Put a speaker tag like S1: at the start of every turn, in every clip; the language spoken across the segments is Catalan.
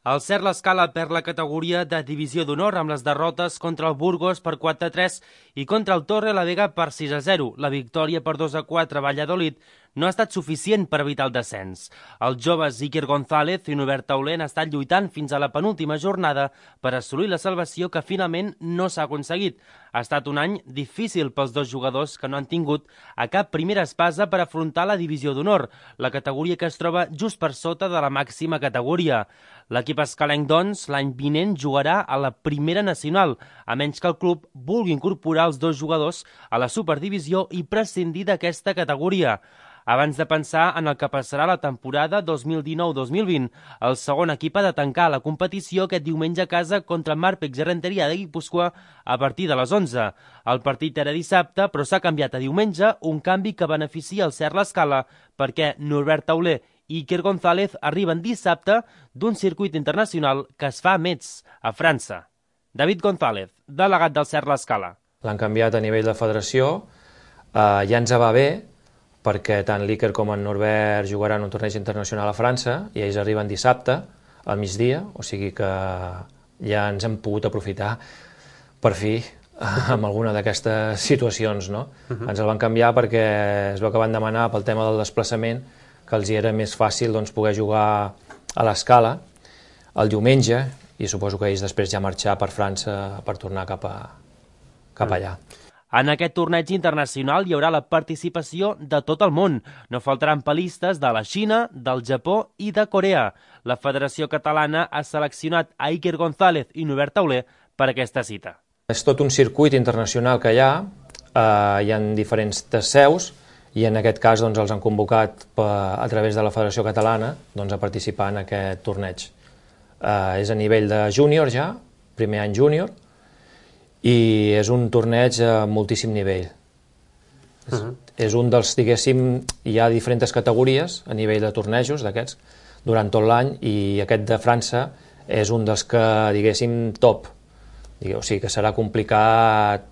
S1: El Cert l'Escala perd la categoria de divisió d'honor amb les derrotes contra el Burgos per 4-3 i contra el Torre la Vega per 6-0. La victòria per 2-4 a Valladolid no ha estat suficient per evitar el descens. Els joves Iker González i Norbert Tauler han estat lluitant fins a la penúltima jornada per assolir la salvació que finalment no s'ha aconseguit. Ha estat un any difícil pels dos jugadors que no han tingut a cap primera espasa per afrontar la divisió d'honor, la categoria que es troba just per sota de la màxima categoria. L'equip escalenc, doncs, l'any vinent jugarà a la primera nacional, a menys que el club vulgui incorporar els dos jugadors a la superdivisió i prescindir d'aquesta categoria. Abans de pensar en el que passarà la temporada 2019-2020, el segon equip ha de tancar la competició aquest diumenge a casa contra Marpex i Renteria de Guipúscoa a partir de les 11. El partit era dissabte, però s'ha canviat a diumenge, un canvi que beneficia el Cert l'Escala perquè Norbert Tauler i Iker González arriben dissabte d'un circuit internacional que es fa a Metz, a França. David González, delegat del Cert l'Escala.
S2: L'han canviat a nivell de federació, ja ens va bé, perquè tant l'Iker com en Norbert jugaran un torneig internacional a França i ells arriben dissabte al migdia, o sigui que ja ens hem pogut aprofitar per fi amb alguna d'aquestes situacions, no? Ens el van canviar perquè es veu que van demanar pel tema del desplaçament que els hi era més fàcil poder jugar a l'Escala el diumenge i suposo que ells després ja marxar per França per tornar cap allà.
S1: En aquest torneig internacional hi haurà la participació de tot el món. No faltaran pel·listes de la Xina, del Japó i de Corea. La Federació Catalana ha seleccionat a Iker González i Norbert Tauler per aquesta cita.
S2: És tot un circuit internacional que hi ha diferents seus i en aquest cas els han convocat a través de la Federació Catalana a participar en aquest torneig. És a nivell de júnior ja, primer any júnior, i és un torneig a moltíssim nivell. És un dels, diguéssim, hi ha diferents categories a nivell de tornejos d'aquests durant tot l'any i aquest de França és un dels que, diguéssim, top. O sigui que serà complicat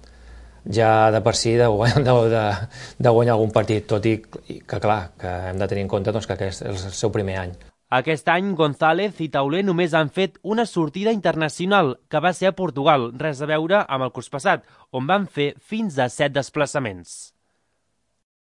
S2: ja de per si de guanyar algun partit, tot i que, clar, que hem de tenir en compte que aquest és el seu primer any.
S1: Aquest any, González i Tauler només han fet una sortida internacional, que va ser a Portugal, res a veure amb el curs passat, on van fer fins a 7 desplaçaments.